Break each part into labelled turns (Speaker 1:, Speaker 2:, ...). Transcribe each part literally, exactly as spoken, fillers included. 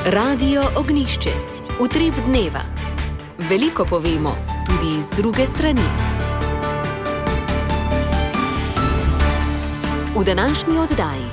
Speaker 1: Radio Ognjišče. Utrip dneva. Veliko povemo, tudi iz druge strani. V današnji oddaji.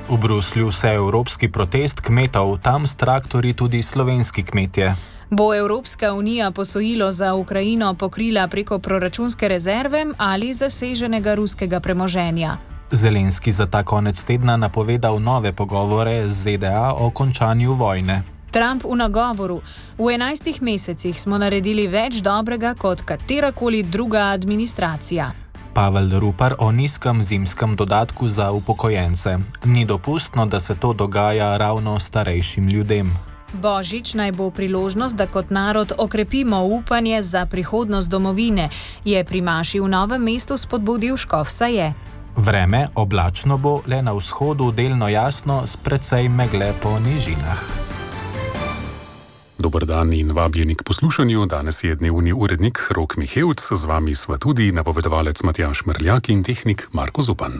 Speaker 2: V Bruslju se evropski protest kmetov, tam s traktorji tudi slovenski kmetje.
Speaker 3: Bo Evropska unija posojilo za Ukrajino pokrila preko proračunske rezerve ali zaseženega ruskega premoženja?
Speaker 2: Zelenski za ta konec tedna napovedal nove pogovore z Z D A o končanju vojne.
Speaker 3: Trump v nagovoru: v enajstih mesecih smo naredili več dobrega kot katerakoli druga administracija.
Speaker 2: Pavel Rupar o nizkem zimskem dodatku za upokojence. Ni dopustno, da se to dogaja ravno starejšim ljudem.
Speaker 3: Božič naj bo priložnost, da kot narod okrepimo upanje za prihodnost domovine, je pri maši v Novem mestu spodbudil škof Saje.
Speaker 2: Vreme oblačno bo, le na vzhodu delno jasno, s precej megle po nižinah.
Speaker 4: Dober dan in vabljeni k poslušanju. Danes je dnevni urednik Rok Mihevc, z vami sva tudi napovedovalec Matjaž Mrljak in tehnik Marko Zupan.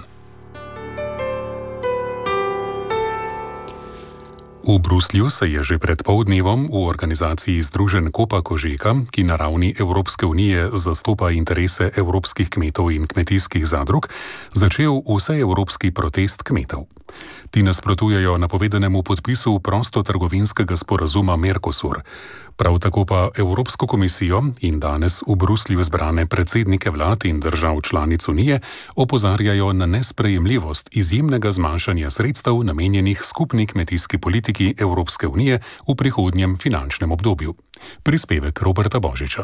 Speaker 4: V Bruslju se je že pred poldnevom v organizaciji Združenj Kopa Kožeka, ki na ravni Evropske unije zastopa interese evropskih kmetov in kmetijskih zadrug, začel vseevropski protest kmetov. Ti nasprotujejo napovedanemu podpisu prostotrgovinskega sporazuma Mercosur. Prav tako pa Evropsko komisijo in danes v Bruslju zbrane predsednike vlad in držav članic Unije opozarjajo na nesprejemljivost izjemnega zmanjšanja sredstev namenjenih skupni kmetijski politiki Evropske unije v prihodnjem finančnem obdobju. Prispevek Roberta Božiča.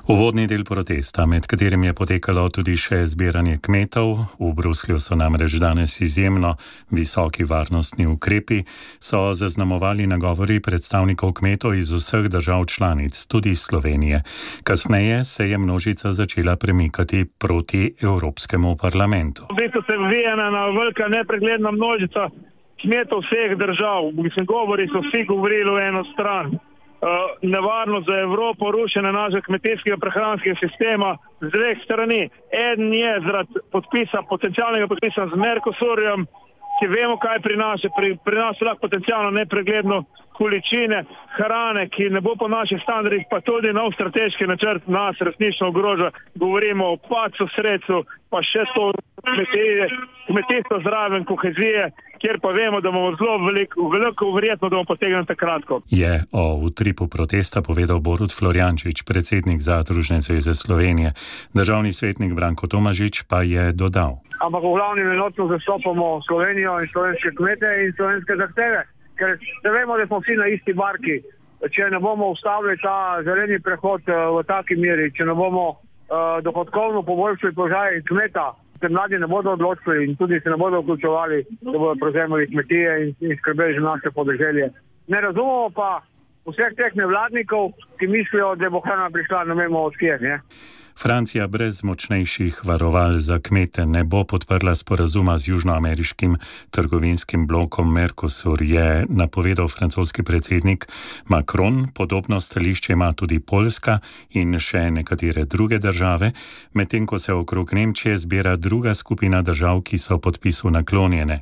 Speaker 5: Uvodni del protesta, med katerim je potekalo tudi še zbiranje kmetov, v Bruslju so namreč danes izjemno visoki varnostni ukrepi, so zaznamovali nagovori predstavnikov kmetov iz vseh držav članic, tudi Slovenije. Kasneje se je množica začela premikati proti Evropskemu parlamentu.
Speaker 6: V bistvu se vije ena velika nepregledna množica kmetov vseh držav. Mislim, govori so vsi govorili v eno stran. Uh, nevarnost za Evropo, rušenje našega kmetijskega prehranskega sistema z dveh strani. Eden je zaradi podpisa, potencialnega podpisa z Mercosurjem, ki vemo, kaj prinaša. Pri, prinaša lahko potencialno nepregledno količine hrane, ki ne bo po naših standardih, pa tudi nov strateški načrt nas resnično ogroža. Govorimo o padcu sredstev, pa še to kmetije, kmetijstvo zraven, kohezije, kjer pa vemo, da bomo zelo veliko, veliko verjetno, da bomo potegnili kratko.
Speaker 5: Je o utripu protesta povedal Borut Florjančič, predsednik Zadružne zveze Slovenije. Državni svetnik Branko Tomažič pa je dodal:
Speaker 7: ampak v glavnem enotno zastopamo Slovenijo in slovenske kmete in slovenske zahteve, ker ne vemo, da smo vsi na isti barki. Če ne bomo ustavili ta zeleni prehod v taki meri, če ne bomo uh, dohodkovno poboljšali položaj kmeta, se mladi ne bodo odločili in tudi se ne bodo vključevali, da bodo prevzemali kmetije in, in skrbeli za naše podeželje. Ne razumemo pa vseh teh nevladnikov, ki mislijo, da bo hrana prišla, ne vemo od kje, ne?
Speaker 5: Francija brez močnejših varoval za kmete ne bo podprla sporazuma z južnoameriškim trgovinskim blokom Mercosur, je napovedal francoski predsednik Macron. Podobno stališče ima tudi Poljska in še nekatere druge države, medtem ko se okrog Nemčije zbira druga skupina držav, ki so podpisu naklonjene.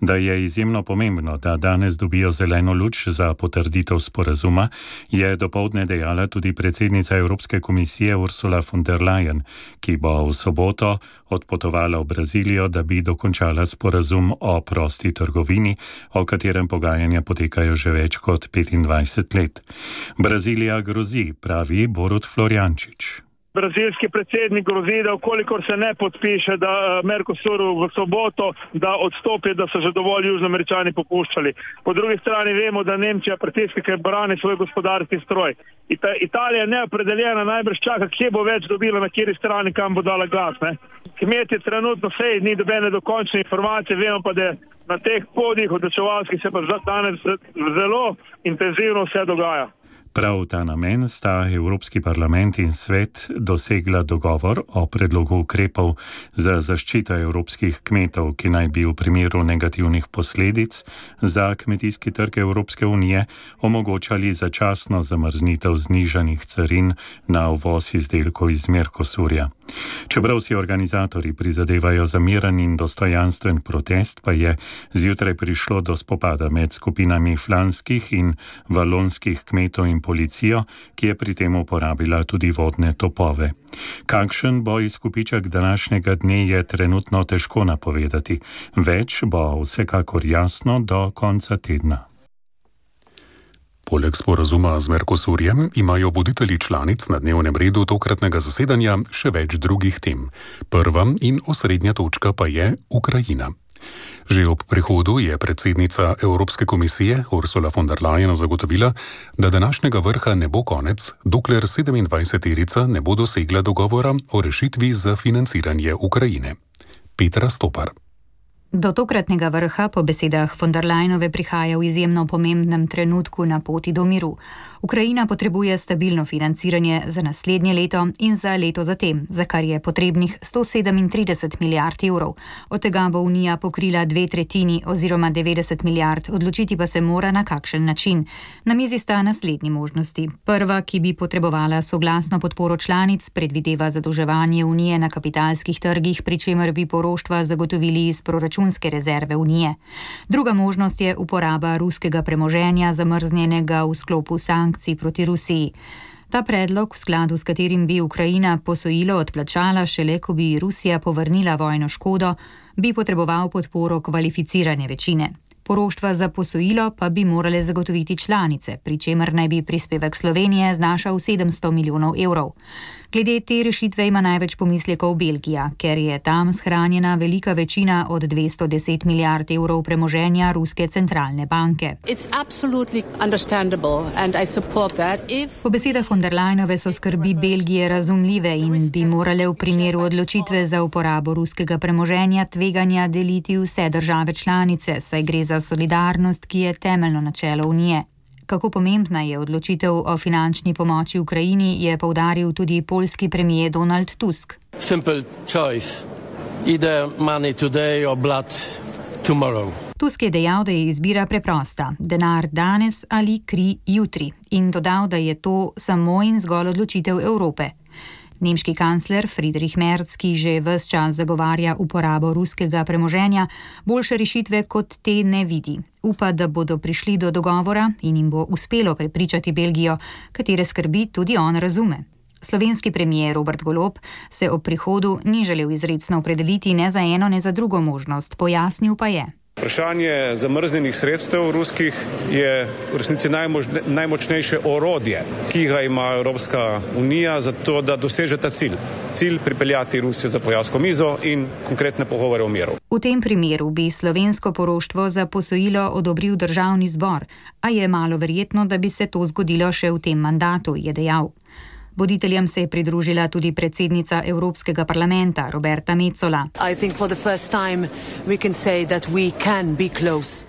Speaker 5: Da je izjemno pomembno, da danes dobijo zeleno luč za potrditev sporazuma, je dopoldne dejala tudi predsednica Evropske komisije Ursula von der Leyen, ki bo v soboto odpotovala v Brazilijo, da bi dokončala sporazum o prosti trgovini, o katerem pogajanja potekajo že več kot petindvajset let. Brazilija grozi, pravi Borut Florjančič.
Speaker 6: Brazilski predsednik grozi, da ukolikor se ne podpiše, da Mercosuru v soboto, da odstopi, da so že dovolj Južnoameričani popuščali. Po drugi strani vemo, da Nemčija pritiska, ker brani svoj gospodarski stroj. Ita, Italija je neopredeljena, najbrž čaka, kje bo več dobila, na kjeri strani, kam bo dala glas. Ne? Kmetje trenutno sej, ni dobene dokončne informacije, vemo pa, da na teh podih odločevalskih se pa danes zelo intenzivno vse dogaja.
Speaker 5: Prav v ta namen sta Evropski parlament in svet dosegla dogovor o predlogu ukrepov za zaščito evropskih kmetov, ki naj bi v primeru negativnih posledic za kmetijski trg Evropske unije omogočali začasno zamrznitev znižanih carin na uvoz izdelkov iz Mercosurja. Čeprav si organizatorji prizadevajo za miren in dostojanstven protest, pa je zjutraj prišlo do spopada med skupinami flanskih in valonskih kmetov in policijo, ki je pri tem uporabila tudi vodne topove. Kakšen bo izkupiček današnjega dne, je trenutno težko napovedati. Več bo vsekakor jasno do konca tedna.
Speaker 4: Poleg sporazuma z Mercosurjem imajo voditelji članic na dnevnem redu tokratnega zasedanja še več drugih tem. Prva in osrednja točka pa je Ukrajina. Že ob prihodu je predsednica Evropske komisije Ursula von der Leyen zagotovila, da današnjega vrha ne bo konec, dokler sedemindvajseterica ne bo dosegla dogovora o rešitvi za financiranje Ukrajine. Petra Stopar.
Speaker 8: Do tokratnega vrha po besedah von der Leyenove prihaja v izjemno pomembnem trenutku na poti do miru. Ukrajina potrebuje stabilno financiranje za naslednje leto in za leto zatem, za kar je potrebnih sto sedemintrideset milijard evrov. Od tega bo Unija pokrila dve tretjini oziroma devetdeset milijard, odločiti pa se mora na kakšen način. Na mizi sta naslednji možnosti. Prva, ki bi potrebovala soglasno podporo članic, predvideva zadolževanje Unije na kapitalskih trgih, pri čemer bi poroštva zagotovili iz proračunske rezerve Unije. Druga možnost je uporaba ruskega premoženja, zamrznjenega v sklopu sankcij proti Rusiji. Ta predlog, v skladu s katerim bi Ukrajina posojilo odplačala šele, ko bi Rusija povrnila vojno škodo, bi potreboval podporo kvalificirane večine. Poroštva za posojilo pa bi morale zagotoviti članice, pri čemer naj bi prispevek Slovenije znašal sedemsto milijonov evrov. Glede te rešitve ima največ pomislekov Belgija, ker je tam shranjena velika večina od dvesto deset milijard evrov premoženja Ruske centralne banke. Po besedah von der Leyenove so skrbi Belgije razumljive in bi morale v primeru odločitve za uporabo ruskega premoženja tveganja deliti vse države članice, saj gre za solidarnost, ki je temeljno načelo Unije. Kako pomembna je odločitev o finančni pomoči Ukrajini, je poudaril tudi poljski premier Donald Tusk.
Speaker 9: Simple choice. Either money today or blood tomorrow.
Speaker 8: Tusk je dejal, da je izbira preprosta, denar danes ali kri jutri, in dodal, da je to samo in zgolj odločitev Evrope. Nemški kancler Friedrich Merz, ki že ves čas zagovarja uporabo ruskega premoženja, boljše rešitve kot te ne vidi. Upa, da bodo prišli do dogovora in jim bo uspelo prepričati Belgijo, katere skrbi tudi on razume. Slovenski premier Robert Golob se ob prihodu ni želel izrecno opredeliti ne za eno, ne za drugo možnost, pojasnil pa je.
Speaker 10: Vprašanje zamrznjenih sredstev ruskih je v resnici najmožne, najmočnejše orodje, ki ga ima Evropska unija za to, da doseže ta cilj. Cilj pripeljati Rusijo za pogajalsko mizo in konkretne pogovore o miru.
Speaker 8: V tem primeru bi slovensko poroštvo za posojilo odobril državni zbor, a je malo verjetno, da bi se to zgodilo še v tem mandatu, je dejal. Voditeljem se je pridružila tudi predsednica Evropskega parlamenta Roberta Metsola.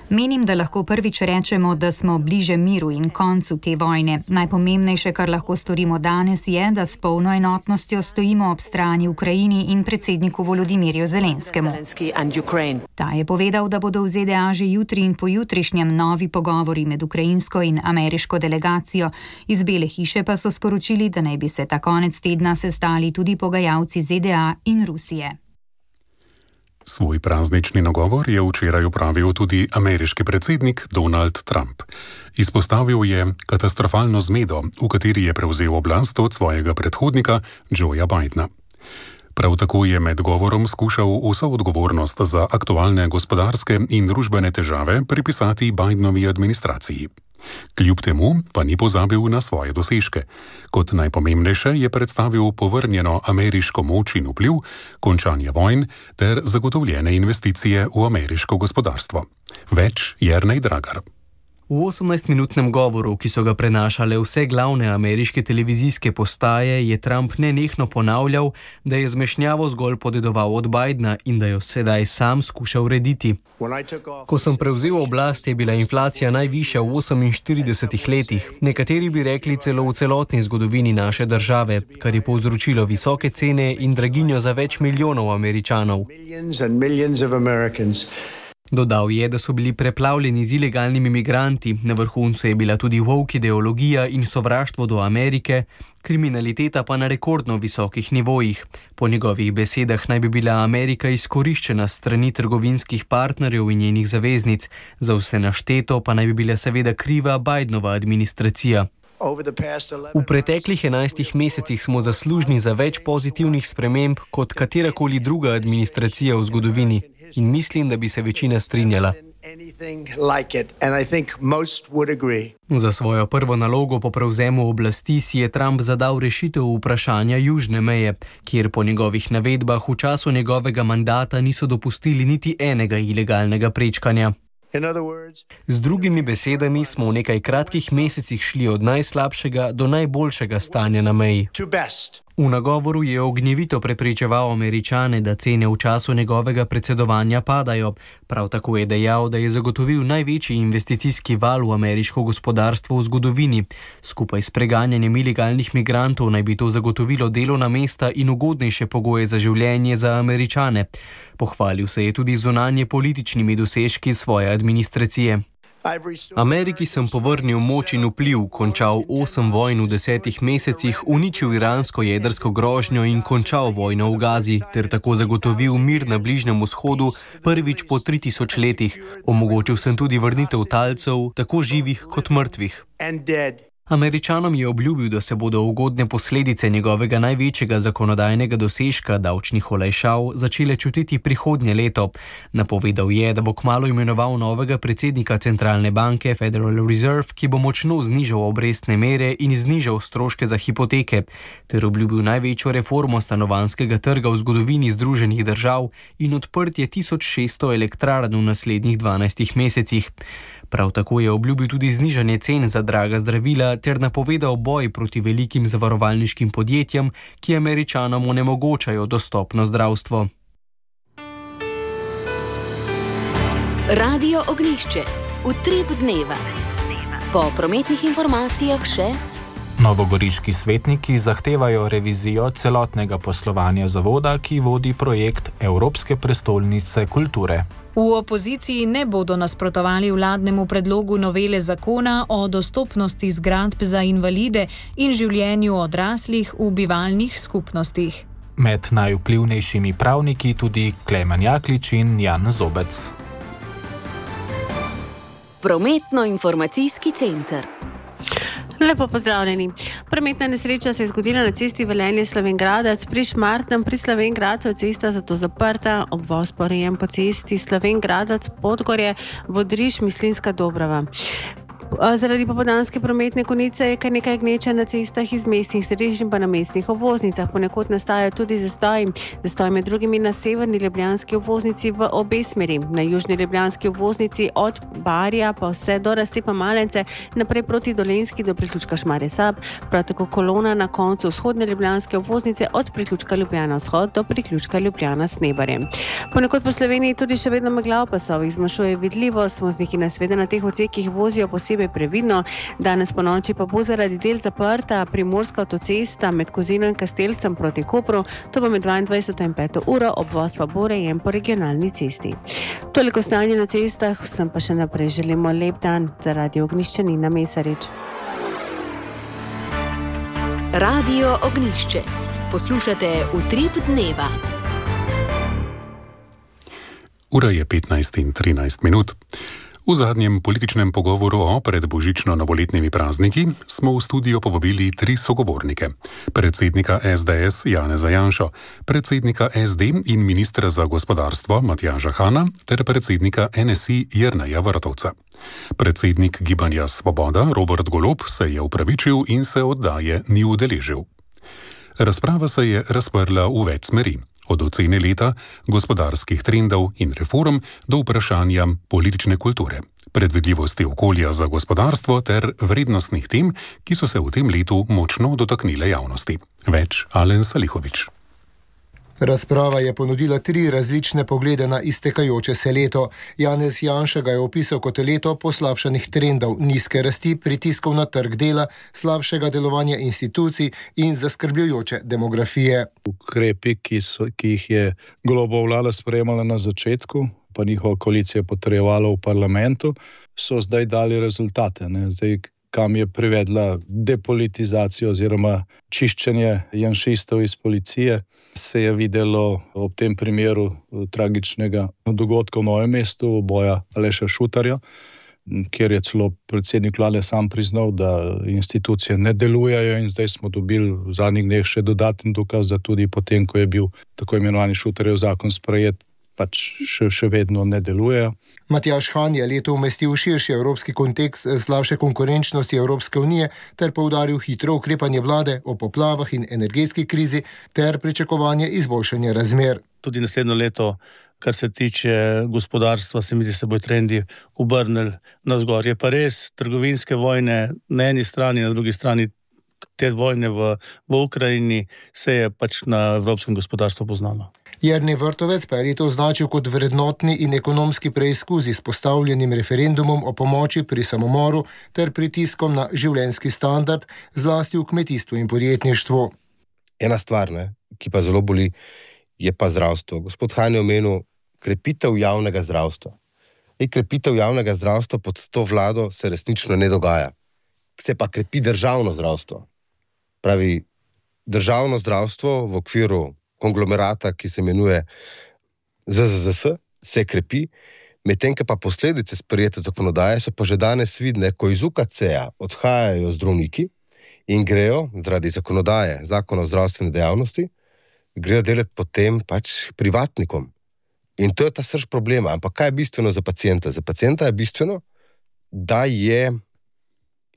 Speaker 8: Menim, da lahko prvič rečemo, da smo bliže miru in koncu te vojne. Najpomembnejše, kar lahko storimo danes, je, da s polno enotnostjo stojimo ob strani Ukrajini in predsedniku Volodimirju Zelenskemu. Ta je povedal, da bodo v Z D A že jutri in pojutrišnjem novi pogovori med ukrajinsko in ameriško delegacijo. Iz Bele hiše pa so sporočili, da naj bi se ta konec tedna sestali tudi pogajalci Z D A in Rusije.
Speaker 4: Svoj praznični nagovor je včeraj opravil tudi ameriški predsednik Donald Trump. Izpostavil je katastrofalno zmedo, v kateri je prevzel oblast od svojega predhodnika Joea Bidena. Prav tako je med govorom skušal vso odgovornost za aktualne gospodarske in družbene težave pripisati Bidenovi administraciji. Kljub temu pa ni pozabil na svoje dosežke. Kot najpomembnejše je predstavil povrnjeno ameriško moč in vpliv, končanje vojn ter zagotovljene investicije v ameriško gospodarstvo. Več Jernej Dragar.
Speaker 11: V osemnajstminutnem govoru, ki so ga prenašale vse glavne ameriške televizijske postaje, je Trump nenehno ponavljal, da je zmešnjavo zgolj podedoval od Bidna in da jo sedaj sam skuša urediti. Ko sem prevzel oblast, je bila inflacija najvišja v oseminštiridesetih letih, nekateri bi rekli celo v celotni zgodovini naše države, kar je povzročilo visoke cene in draginjo za več milijonov Američanov. Dodal je, da so bili preplavljeni z ilegalnimi migranti, na vrhuncu je bila tudi woke ideologija in sovraštvo do Amerike, kriminaliteta pa na rekordno visokih nivojih. Po njegovih besedah naj bi bila Amerika izkoriščena s strani trgovinskih partnerjev in njenih zaveznic, za vse našteto pa naj bi bila seveda kriva Bidenova administracija. V preteklih enajstih mesecih smo zaslužni za več pozitivnih sprememb kot katerakoli druga administracija v zgodovini in mislim, da bi se večina strinjala. Za svojo prvo nalogo po prevzemu oblasti si je Trump zadal rešitev vprašanja južne meje, kjer po njegovih navedbah v času njegovega mandata niso dopustili niti enega ilegalnega prečkanja. Z drugimi besedami smo v nekaj kratkih mesecih šli od najslabšega do najboljšega stanja na meji. V nagovoru je ognjevito prepričeval Američane, da cene v času njegovega predsedovanja padajo. Prav tako je dejal, da je zagotovil največji investicijski val v ameriško gospodarstvo v zgodovini. Skupaj s preganjanjem ilegalnih migrantov naj bi to zagotovilo delovna mesta in ugodnejše pogoje za življenje za Američane. Pohvalil se je tudi zunanje političnimi dosežki svoje administracije. Ameriki sem povrnil moč in vpliv, končal osem vojn v desetih mesecih, uničil iransko jedrsko grožnjo in končal vojno v Gazi, ter tako zagotovil mir na Bližnjem vzhodu prvič po tri tisoč letih. Omogočil sem tudi vrnitev talcev, tako živih kot mrtvih. Američanom je obljubil, da se bodo ugodne posledice njegovega največjega zakonodajnega dosežka, davčnih olajšav, začele čutiti prihodnje leto. Napovedal je, da bo kmalu imenoval novega predsednika centralne banke Federal Reserve, ki bo močno znižal obrestne mere in znižal stroške za hipoteke, ter obljubil največjo reformo stanovanjskega trga v zgodovini Združenih držav in odprtje tisoč šeststo elektrarn v naslednjih dvanajstih mesecih. Prav tako je obljubil tudi znižanje cen za draga zdravila ter napovedal boj proti velikim zavarovalniškim podjetjem, ki Američanom onemogočajo dostopno zdravstvo.
Speaker 1: Radio Ognjišče. Utrip dneva. Po prometnih informacijah še:
Speaker 2: Novogoriški svetniki zahtevajo revizijo celotnega poslovanja zavoda, ki vodi projekt Evropske prestolnice kulture.
Speaker 3: V opoziciji ne bodo nasprotovali vladnemu predlogu novele zakona o dostopnosti zgradb za invalide in življenju odraslih v bivalnih skupnostih.
Speaker 2: Med najvplivnejšimi pravniki tudi Klemen Jaklič in Jan Zobec.
Speaker 1: Prometno-informacijski center.
Speaker 12: Lepo pozdravljeni. Prometna nesreča se je zgodila na cesti Velenje-Slovenj Gradec pri Šmartnem. Pri Slovenj Gradcu je cesta zato zaprta, obvoz pa urejen po cesti Slovenj Gradec Podgorje Vodriž Mislinjska Dobrava. Zaradi popoldanske prometne konice je kar nekaj gneče na cestah iz mestnih središč in pa na mestnih obvoznicah. Ponekod nastajajo tudi zastoji. Zastoj med drugimi na severni ljubljanski obvoznici v obe smeri. Na južni ljubljanski obvoznici od Barja pa vse do razcepa Malence, naprej proti Dolenjski do priključka Šmarje Sab, prav tako kolona na koncu vzhodne ljubljanske obvoznice od priključka Ljubljana Vzhod do priključka Ljubljana Snebarje. Ponekod po Sloveniji tudi še vedno megla v pasovih zmanjšuje vidljivost. Vozniki nas seveda na teh odsekih vozijo posebej previdno. Danes po noči pa bo zaradi del zaprta primorska avtocesta med Kozino in Kastelcem proti Kopru, to pa med dvaindvajseto in peto uro, obvoz pa bo urejen po regionalni cesti. Toliko stanje na cestah, vsem pa še naprej želimo lep dan. Za Radio Ognjišče Nina Mesarič.
Speaker 1: Radio Ognjišče. Poslušate Utrip dneva.
Speaker 4: Ura je petnajst in trinajst minut. V zadnjem političnem pogovoru o predbožično-novoletnimi prazniki smo v studio povabili tri sogovornike. Predsednika es de es Janeza Janšo, predsednika es de in ministra za gospodarstvo Matjaža Hana ter predsednika en es i Jerneja Vrtovca. Predsednik Gibanja Svoboda Robert Golob se je opravičil in se oddaje ni udeležil. Razprava se je razprla v več smeri. Od ocene leta, gospodarskih trendov in reform do vprašanja politične kulture. predvidljivosti okolja za gospodarstvo ter vrednostnih tem, ki so se v tem letu močno dotaknile javnosti. Več Alen Salihovič.
Speaker 13: Razprava je ponudila tri različne poglede na iztekajoče se leto. Janez Janša ga je opisal kot leto poslabšanih trendov, nizke rasti, pritiskov na trg dela, slabšega delovanja institucij in zaskrbljujoče demografije.
Speaker 14: Ukrepi, ki, so, ki jih je Golobova vlada sprejemala na začetku, pa njihova koalicija potrjevala v parlamentu, so zdaj dali rezultate. Ne? Zdaj, kam je privedla depolitizacijo oziroma čiščenje janšistov iz policije, se je videlo ob tem primeru tragičnega dogodka v Novem mestu, uboja Aleša Šutarja, kjer je celo predsednik vlade sam priznal, da institucije ne delujejo, in zdaj smo dobili v zadnjih dneh še dodaten dokaz, da tudi potem, ko je bil tako imenovani Šutarjev zakon sprejet, pač še, še vedno ne delujejo.
Speaker 13: Matjaž Han je leto umestil širši evropski kontekst slabše konkurenčnosti Evropske unije ter poudaril hitro ukrepanje vlade o poplavah in energetski krizi ter pričakovanje izboljšanja razmer.
Speaker 15: Tudi naslednjo leto, kar se tiče gospodarstva, se mi zdi, se bojo trendi obrnili navzgor. Je pa res, trgovinske vojne na eni strani, na drugi strani te vojne v, v Ukrajini se je pač na evropskem gospodarstvu poznalo.
Speaker 13: Jernej Vrtovec pa je leto označil kot vrednotni in ekonomski preizkus z postavljenim referendumom o pomoči pri samomoru ter pritiskom na življenjski standard, zlasti v kmetijstvu in podjetništvu.
Speaker 16: Ena stvar, ne, ki pa zelo boli, je pa zdravstvo. Gospod Han je omenil krepitev javnega zdravstva. In krepitev javnega zdravstva pod to vlado se resnično ne dogaja. Se pa krepi državno zdravstvo. Pravi, državno zdravstvo v okviru konglomerata, ki se imenuje Z Z Z S, se krepi, medtem pa posledice sprejete zakonodaje so pa že danes vidne, ko iz U K C-ja odhajajo zdravniki in grejo zaradi zakonodaje, zakona o zdravstveni dejavnosti, grejo delati potem pač privatnikom. In to je ta srž problema. Ampak kaj je bistveno za pacienta? Za pacienta je bistveno, da je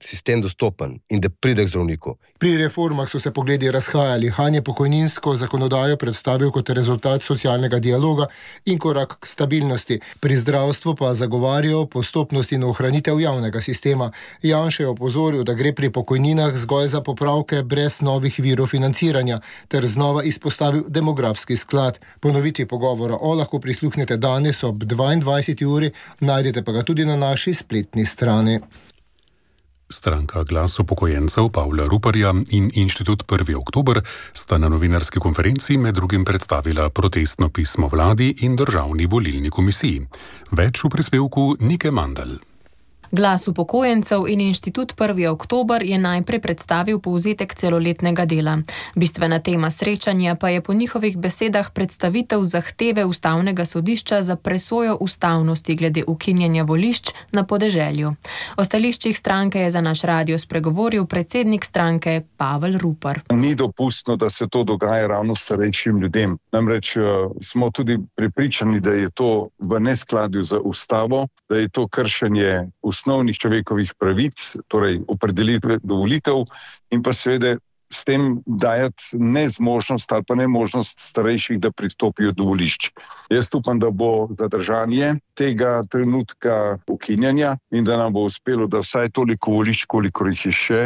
Speaker 16: sistem dostopen in da pride k zdravniku.
Speaker 13: Pri reformah so se pogledi razhajali. Han je pokojninsko zakonodajo predstavil kot rezultat socialnega dialoga in korak k stabilnosti. Pri zdravstvu pa zagovarjajo postopnost in ohranitev javnega sistema. Janša je opozoril, da gre pri pokojninah zgolj za popravke brez novih virov financiranja, ter znova izpostavil demografski sklad. Ponovitvi pogovora o lahko prisluhnete danes ob dvaindvajseti uri, najdete pa ga tudi na naši spletni strani.
Speaker 4: Stranka Glas upokojencev Pavla Ruparja in Inštitut prvi oktober sta na novinarski konferenci med drugim predstavila protestno pismo vladi in državni volilni komisiji. Več v prispevku Nike Mandl.
Speaker 17: Glas upokojencev in Inštitut prvi oktober je najprej predstavil povzetek celoletnega dela. Bistvena tema srečanja pa je po njihovih besedah predstavitev zahteve Ustavnega sodišča za presojo ustavnosti glede ukinjanja volišč na podeželju. O stališčih stranke je za naš radio spregovoril predsednik stranke Pavel Rupar.
Speaker 18: Ni dopustno, da se to dogaja ravno starejšim ljudem. Namreč smo tudi prepričani, da je to v neskladju z ustavo, da je to kršenje osnovnih človekovih pravic, torej opredelitve do volitev, in pa seveda s tem dajati nezmožnost ali pa nemožnost starejših, da pristopijo do volišč. Jaz upam, da bo zadržanje tega trenutka ukinjanja in da nam bo uspelo, da vsaj toliko volišč, kolikor jih je še,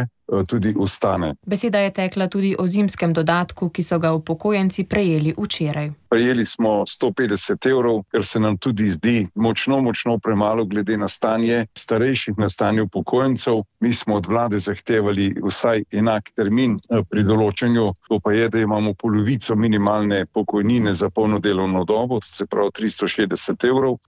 Speaker 18: tudi ostane.
Speaker 17: Beseda je tekla tudi o zimskem dodatku, ki so ga upokojenci prejeli včeraj.
Speaker 18: Prejeli smo sto petdeset evrov, ker se nam tudi zdi močno, močno premalo glede na stanje starejših, na stanje upokojencev. Mi smo od vlade zahtevali vsaj enak termin pri določanju, to pa je, da imamo polovico minimalne pokojnine za polno delovno dobo, to se pravi tristo šestdeset evrov,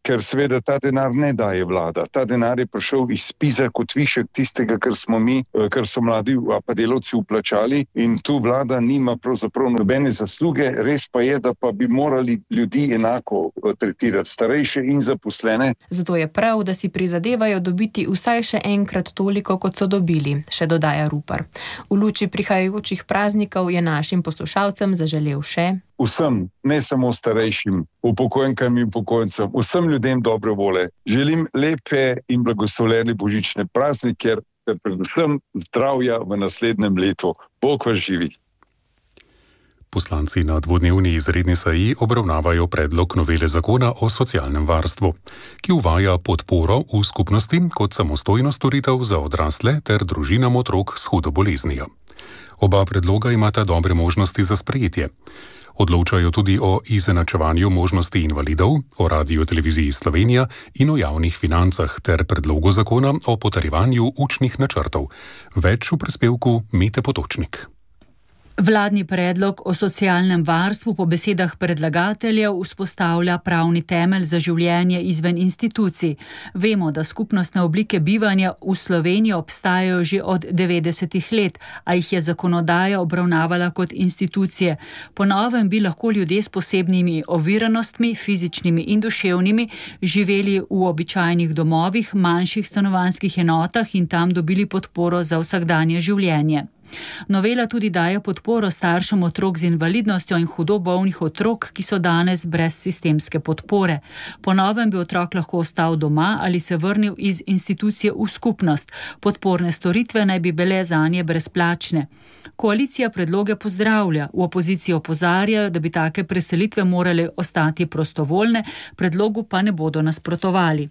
Speaker 18: ker seveda ta denar ne daje vlada. Ta denar je prišel iz spiza kot višek tistega, kar smo mi, kar so mladi pa delavci vplačali, in tu vlada nima pravzaprav nobene zasluge. Res pa je, da pa bi morali ljudi enako tretirati, starejše in zaposlene.
Speaker 17: Zato je prav, da si prizadevajo dobiti vsaj še enkrat toliko, kot so dobili, še dodaja Rupar. V luči prihajajočih praznikov je našim poslušalcem zaželel še
Speaker 18: vsem, ne samo starejšim, upokojenkam in upokojencem, vsem ljudem dobre vole. Želim lepe in blagoslovljene božične praznike, ter predvsem zdravja v naslednjem letu. Bog vas živi.
Speaker 4: Poslanci na dvodnevni izredni seji obravnavajo predlog novele zakona o socialnem varstvu, ki uvaja podporo v skupnosti kot samostojno storitev za odrasle ter družinam otrok s hudo boleznijo. Oba predloga imata dobre možnosti za sprejetje. Odločajo tudi o izenačevanju možnosti invalidov, o Radioteleviziji Slovenija in o javnih financah ter predlogu zakona o potrjevanju učnih načrtov. Več v prispevku Mete Potočnik.
Speaker 19: Vladni predlog o socialnem varstvu po besedah predlagateljev vzpostavlja pravni temelj za življenje izven institucij. Vemo, da skupnostne oblike bivanja v Sloveniji obstajajo že od devetdesetih let, a jih je zakonodaja obravnavala kot institucije. Po novem bi lahko ljudje s posebnimi oviranostmi, fizičnimi in duševnimi, živeli v običajnih domovih, manjših stanovanjskih enotah in tam dobili podporo za vsakdanje življenje. Novela tudi daje podporo staršem otrok z invalidnostjo in hudo bolnih otrok, ki so danes brez sistemske podpore. Po novem bi otrok lahko ostal doma ali se vrnil iz institucije v skupnost. Podporne storitve naj bi bile zanje brezplačne. Koalicija predloge pozdravlja, v opoziciji opozarjajo, da bi take preselitve morale ostati prostovoljne, predlogu pa ne bodo nasprotovali.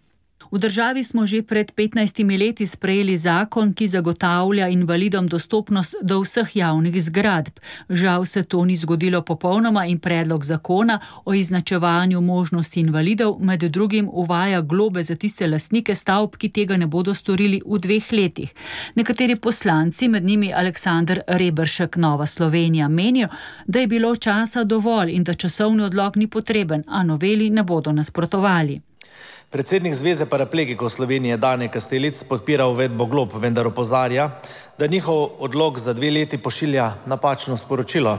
Speaker 19: V državi smo že pred petnajstimi leti sprejeli zakon, ki zagotavlja invalidom dostopnost do vseh javnih zgradb. Žal se to ni zgodilo popolnoma in predlog zakona o izenačevanju možnosti invalidov med drugim uvaja globe za tiste lastnike stavb, ki tega ne bodo storili v dveh letih. Nekateri poslanci, med njimi Aleksander Reberšek, Nova Slovenija, menijo, da je bilo časa dovolj in da časovni odlog ni potreben, a noveli ne bodo nasprotovali.
Speaker 20: Predsednik Zveze paraplegikov Slovenije Dane Kastelic podpira uvedbo glob, vendar opozarja, da njihov odlog za dve leti pošilja napačno sporočilo.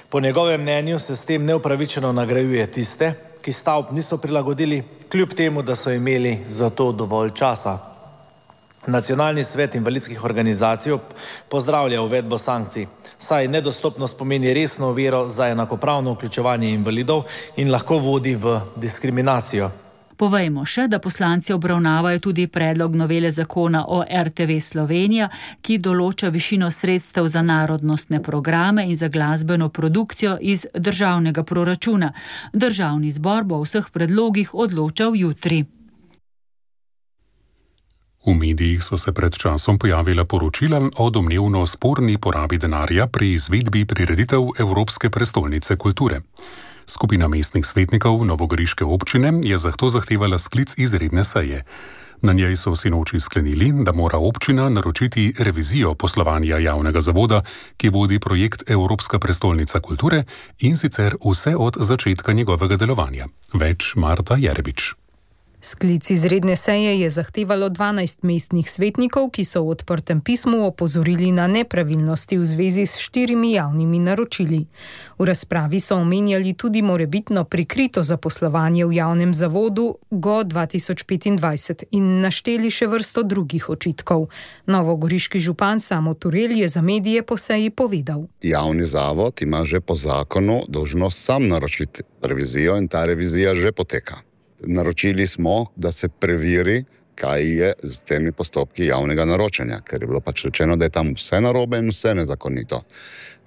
Speaker 20: Po njegovem mnenju se s tem neupravičeno nagrajuje tiste, ki stavb niso prilagodili, kljub temu, da so imeli za to dovolj časa. Nacionalni svet invalidskih organizacij pozdravlja uvedbo sankcij, saj nedostopnost pomeni resno oviro za enakopravno vključevanje invalidov in lahko vodi v diskriminacijo.
Speaker 19: Povejmo še, da poslanci obravnavajo tudi predlog novele zakona o R T V Slovenija, ki določa višino sredstev za narodnostne programe in za glasbeno produkcijo iz državnega proračuna. Državni zbor bo o vseh predlogih odločal jutri.
Speaker 4: V medijih so se pred časom pojavila poročila o domnevno sporni porabi denarja pri izvedbi prireditev Evropske prestolnice kulture. Skupina mestnih svetnikov novogoriške občine je zato zahtevala sklic izredne seje. Na njej so sinoči sklenili, da mora občina naročiti revizijo poslovanja javnega zavoda, ki vodi projekt Evropska prestolnica kulture, in sicer vse od začetka njegovega delovanja. Več Marta Jerebič.
Speaker 21: Sklic izredne seje je zahtevalo dvanajst mestnih svetnikov, ki so v odprtem pismu opozorili na nepravilnosti v zvezi s štirimi javnimi naročili. V razpravi so omenjali tudi morebitno prikrito zaposlovanje v javnem zavodu G O dva tisoč petindvajset in našteli še vrsto drugih očitkov. Novogoriški župan Samo Turel je za medije po seji povedal.
Speaker 22: Javni zavod ima že po zakonu dolžnost sam naročiti revizijo in ta revizija že poteka. Naročili smo, da se preveri, kaj je z temi postopki javnega naročanja, ker je bilo pač rečeno, da je tam vse narobe in vse nezakonito.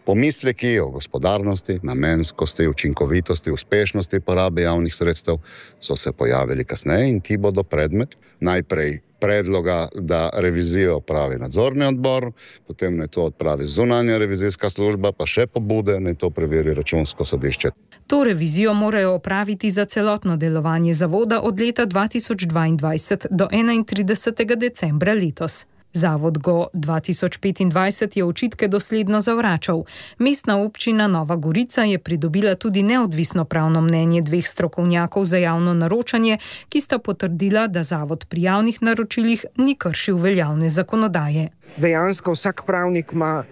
Speaker 22: Pomisleki o gospodarnosti, namenskosti, učinkovitosti, uspešnosti porabe javnih sredstev so se pojavili kasneje in ti bodo predmet najprej predloga, da revizijo opravi nadzorni odbor, potem naj to odpravi zunanja revizijska služba, pa še pobude, naj to preveri računsko sodišče.
Speaker 21: To revizijo morajo opraviti za celotno delovanje zavoda od leta dva tisoč dvaindvajset do enaintridesetega decembra letos. Zavod G O dva tisoč petindvajset je očitke dosledno zavračal. Mestna občina Nova Gorica je pridobila tudi neodvisno pravno mnenje dveh strokovnjakov za javno naročanje, ki sta potrdila, da zavod pri javnih naročilih ni kršil veljavne zakonodaje.
Speaker 23: Dejansko vsak pravnik ima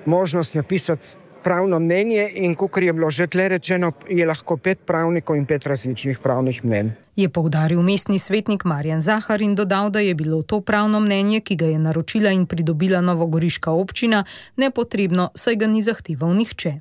Speaker 23: možnost napisati pravno mnenje in kakor je bilo že tle rečeno, je lahko pet pravnikov in pet različnih pravnih mnenj.
Speaker 21: Je poudaril mestni svetnik Marjan Zahar in dodal, da je bilo to pravno mnenje, ki ga je naročila in pridobila novogoriška občina, nepotrebno, saj ga ni zahteval nihče.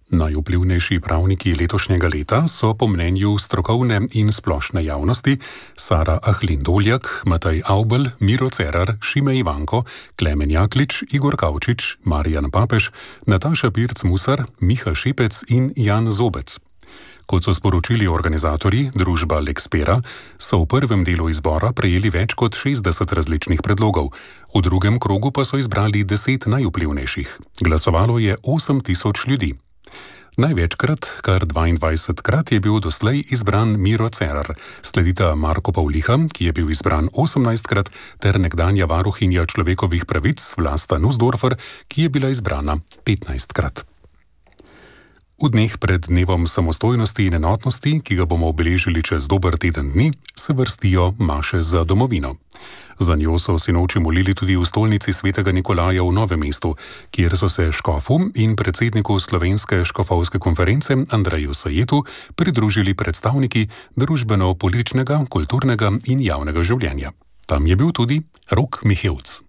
Speaker 4: Najvplivnejši pravniki letošnjega leta so po mnenju strokovne in splošne javnosti Sara Ahlin-Doljak, Matej Avbelj, Miro Cerar, Šime Ivanko, Klemen Jaklič, Igor Kavčič, Marijan Papež, Nataša Pirc-Musar, Miha Šepec in Jan Zobec. Kot so sporočili organizatorji, družba Lexpera, so v prvem delu izbora prejeli več kot šestdeset različnih predlogov, v drugem krogu pa so izbrali deset najvplivnejših. Glasovalo je osem tisoč ljudi. Največkrat, kar dvaindvajsetkrat, je bil doslej izbran Miro Cerar, sledita Marko Pavliha, ki je bil izbran osemnajstkrat, ter nekdanja varuhinja človekovih pravic Vlasta Nussdorfer, ki je bila izbrana petnajstkrat. V dneh pred dnevom samostojnosti in enotnosti, ki ga bomo obeležili čez dober teden dni, se vrstijo maše za domovino. Za njo so sinoči molili tudi v stolnici svetega Nikolaja v Novem mestu, kjer so se škofu in predsedniku Slovenske škofovske konference Andreju Sajetu pridružili predstavniki družbeno-političnega, kulturnega in javnega življenja. Tam je bil tudi Rok Mihevc.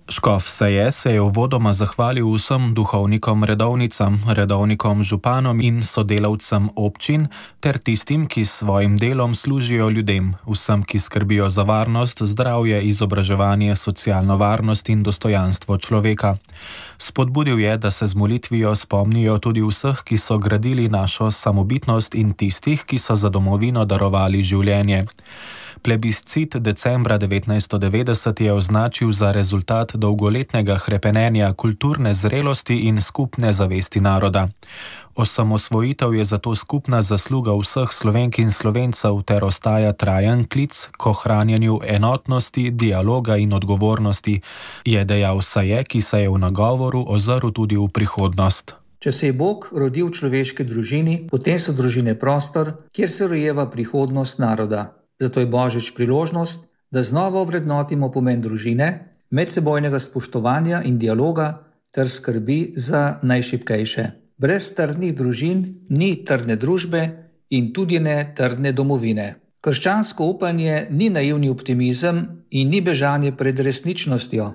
Speaker 2: Škof Saje se je uvodoma zahvalil vsem duhovnikom redovnicam, redovnikom županom in sodelavcem občin ter tistim, ki s svojim delom služijo ljudem, vsem, ki skrbijo za varnost, zdravje, izobraževanje, socialno varnost in dostojanstvo človeka. Spodbudil je, da se z molitvijo spomnijo tudi vseh, ki so gradili našo samobitnost in tistih, ki so za domovino darovali življenje. Plebiscit decembra devetnajststo devetdeset je označil za rezultat dolgoletnega hrepenenja kulturne zrelosti in skupne zavesti naroda. Osamosvojitev je zato skupna zasluga vseh Slovenk in Slovencev ter ostaja trajen klic k ohranjanju enotnosti, dialoga in odgovornosti, je dejal Saje, ki se je v nagovoru ozrl tudi v prihodnost.
Speaker 5: Če se je Bog rodil v človeški družini, potem so družine prostor, kjer se rojeva prihodnost naroda. Zato je Božič priložnost, da znova ovrednotimo pomen družine, medsebojnega spoštovanja in dialoga ter skrbi za najšibkejše. Brez trdnih družin ni trdne družbe in tudi ne trdne domovine. Krščansko upanje ni naivni optimizem in ni bežanje pred resničnostjo.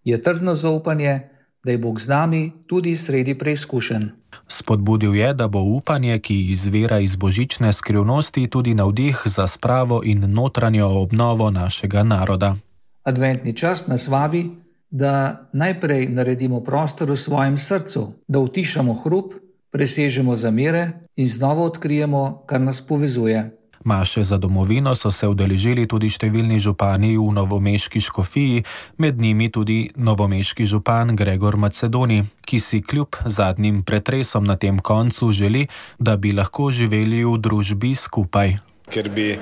Speaker 5: Je trdno zaupanje, da je Bog z nami tudi sredi preizkušenj.
Speaker 2: Spodbudil je, da bo upanje, ki izvira iz božične skrivnosti, tudi navdih za spravo in notranjo obnovo našega naroda.
Speaker 5: Adventni čas nas vabi, da najprej naredimo prostor v svojem srcu, da utišamo hrup, presežemo zamere in znova odkrijemo, kar nas povezuje.
Speaker 2: Maše za domovino so se udeležili tudi številni župani v novomeški škofiji, med njimi tudi novomeški župan Gregor Macedoni, ki si kljub zadnjim pretresom na tem koncu želi, da bi lahko živeli v družbi skupaj.
Speaker 6: Ker bi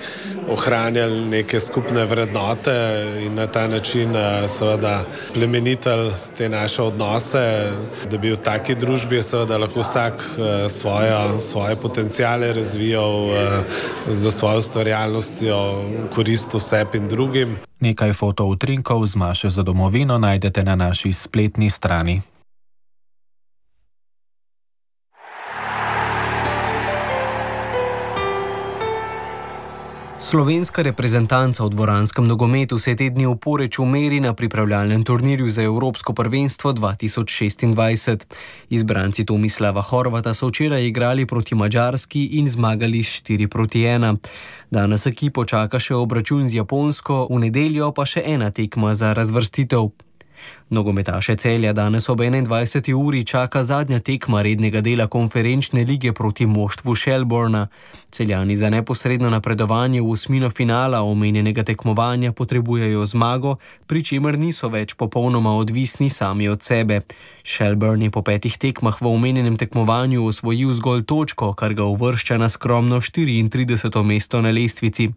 Speaker 6: ohranjali neke skupne vrednote in na ta način seveda plemenitili te naše odnose, da bi v taki družbi seveda lahko vsak svojo, svoje potencijale razvijal za svojo ustvarjalnostjo, korist vseb in drugim.
Speaker 2: Nekaj fotoutrinkov z maše za domovino najdete na naši spletni strani.
Speaker 11: Slovenska reprezentanca v dvoranskem nogometu se te dni v Poreču meri na pripravljalnem turnirju za Evropsko prvenstvo dva tisoč šestindvajset. Izbranci Tomislava Horvata so včeraj igrali proti Madžarski in zmagali štiri proti ena. Danes ekipo čaka še obračun z Japonsko, v nedeljo pa še ena tekma za razvrstitev. Nogometaše Celja danes ob enaindvajseti uri čaka zadnja tekma rednega dela konferenčne lige proti moštvu Shelbourna. Celjani za neposredno napredovanje v osmino finala omenjenega tekmovanja potrebujejo zmago, pri čemer niso več popolnoma odvisni sami od sebe. Shelbourne je po petih tekmah v omenjenem tekmovanju osvojil zgolj točko, kar ga uvršča na skromno štiriintrideseto mesto na lestvici.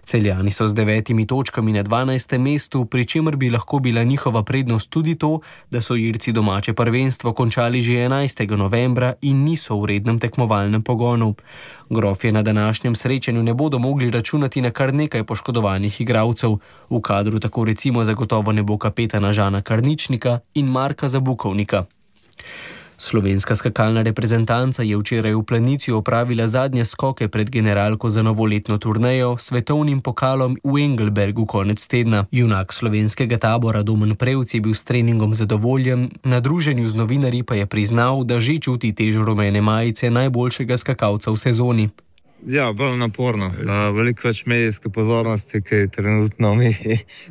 Speaker 11: Celjani so z devetimi točkami na dvanajstem mestu, pri čemer bi lahko bila njihova prednost tudi to, da so Irci domače prvenstvo končali že enajstega novembra in niso v rednem tekmovalnem pogonu. Grofje na današnjem srečanju ne bodo mogli računati na kar nekaj poškodovanih igralcev. V kadru tako recimo zagotovo ne bo kapetana Žana Karničnika in Marka Zabukovnika. Slovenska skakalna reprezentanca je včeraj v Planici opravila zadnje skoke pred generalko za novoletno turnejo s svetovnim pokalom v Engelbergu konec tedna. Junak slovenskega tabora Domen Prevc je bil s treningom zadovoljen, na druženju z novinarji pa je priznal, da že čuti težo rumene majice najboljšega skakalca v sezoni.
Speaker 7: Ja, bolj naporno. Veliko več medijske pozornosti, ki trenutno mi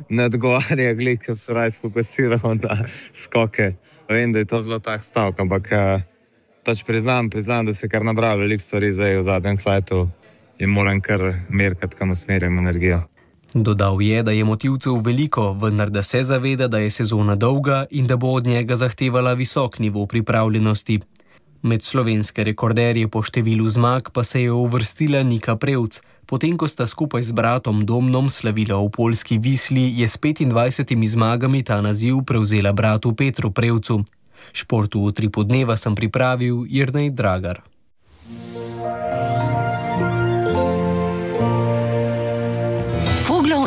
Speaker 7: ne odgovarja, ker se raj sfokusiramo na skoke. Vem, da je to zelo tak stavek, ampak pač priznam, priznam, da se kar nabral veliko stvari zdaj v zadnjem cajtu in moram kar merkati, kam usmerjam energijo.
Speaker 11: Dodal je, da je motivcev veliko, vendar da se zaveda, da je sezona dolga in da bo od njega zahtevala visok nivo pripravljenosti. Med slovenske rekorderje po številu zmag pa se je uvrstila Nika Prevc. Potem, ko sta skupaj z bratom Domnom slavila v poljski Visli, je s petindvajsetimi zmagami ta naziv prevzela bratu Petru Prevcu. Športu v utripu dneva sem pripravil Jernej Dragar.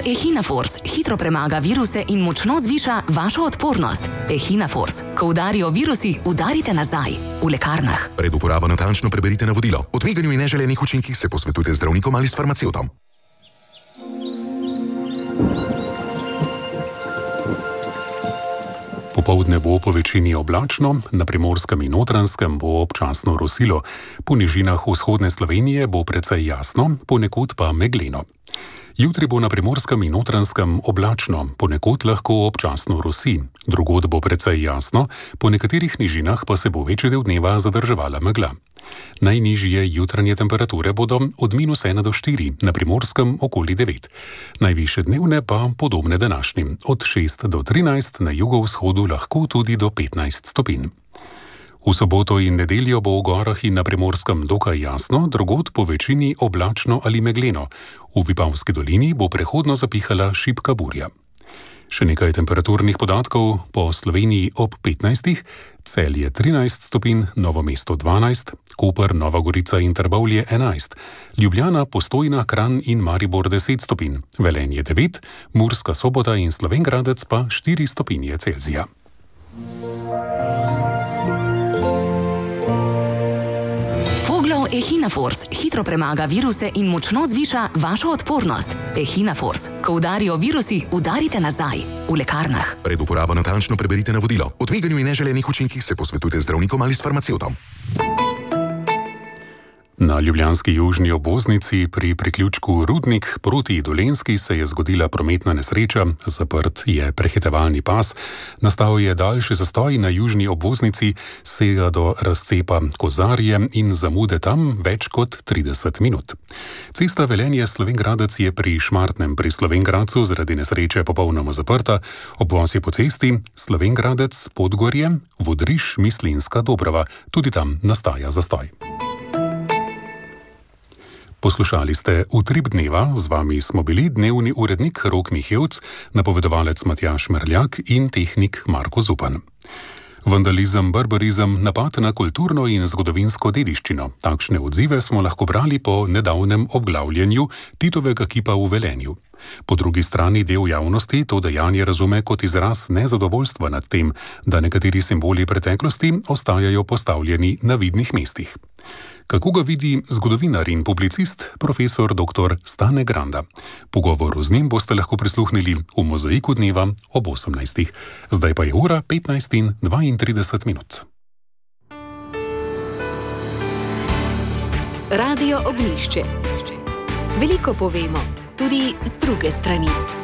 Speaker 1: Echinafors hitro premaga viruse in močno zviša vašo odpornost. Echinafors. Ko udarijo virusi, udarite nazaj. V lekarnah.
Speaker 9: Pred uporabo natančno preberite navodilo. O tveganju in neželenih učinkih se posvetujte z zdravnikom ali s farmacevtom.
Speaker 4: Popoldne bo po večini oblačno, na Primorskem in Notranjskem bo občasno rosilo. Po nižinah vzhodne Slovenije bo precej jasno, ponekod pa megleno. Jutri bo na Primorskem in Notranjskem oblačno, ponekod lahko občasno rosi. Drugod bo precej jasno, po nekaterih nižinah pa se bo večji del dneva zadrževala megla. Najnižje jutranje temperature bodo od minus ena do štiri, na Primorskem okoli devet. Najvišje dnevne pa podobne današnjim, od šest do trinajst, na jugovzhodu lahko tudi do petnajst stopinj. V soboto in nedeljo bo v gorah in na Primorskem dokaj jasno, drugod po večini oblačno ali megleno. V Vipavski dolini bo prehodno zapihala šibka burja. Še nekaj temperaturnih podatkov po Sloveniji ob petnajstih, Celje trinajst stopinj, Novo mesto dvanajst, Koper, Nova Gorica in Trbovlje enajst, Ljubljana, Postojna, Kranj in Maribor deset stopinj, Velenje devet, Murska Sobota in Slovenj Gradec pa štiri stopinje Celzija.
Speaker 1: Echinafors hitro premaga viruse in močno zviša vašo odpornost. Echinafors. Ko udarijo virusi, udarite nazaj. V lekarnah.
Speaker 9: Pred uporabo natančno preberite navodilo. O tveganju in neželenih učinkih se posvetujte z zdravnikom ali s farmacevtom.
Speaker 4: Na ljubljanski južni obvoznici pri priključku Rudnik proti Dolenjski se je zgodila prometna nesreča, zaprt je prehitevalni pas, nastal je daljši zastoj na južni obvoznici, sega do razcepa Kozarje in zamude tam več kot trideset minut. Cesta Velenje-Slovenj Gradec je pri Šmartnem pri Slovenj Gradcu zaradi nesreče popolnoma zaprta, obvoz je po cesti Slovenj Gradec, Podgorje, Vodriš, Mislinska Dobrava, tudi tam nastaja zastoj. Poslušali ste Utrip dneva, z vami smo bili dnevni urednik Rok Mihevc, napovedovalec Matjaž Merljak in tehnik Marko Zupan. Vandalizem, barbarizem, napad na kulturno in zgodovinsko dediščino. Takšne odzive smo lahko brali po nedavnem obglavljanju Titovega kipa v Velenju. Po drugi strani del javnosti to dejanje razume kot izraz nezadovoljstva nad tem, da nekateri simboli preteklosti ostajajo postavljeni na vidnih mestih. Kako ga vidi zgodovinar in publicist profesor doktor Stane Granda? Pogovoru z njim boste lahko prisluhnili v Mozaiku dneva ob osemnajstih. Zdaj pa je ura petnajst in dvaintrideset minut.
Speaker 1: Radio Ognjišče. Veliko povemo, tudi z druge strani.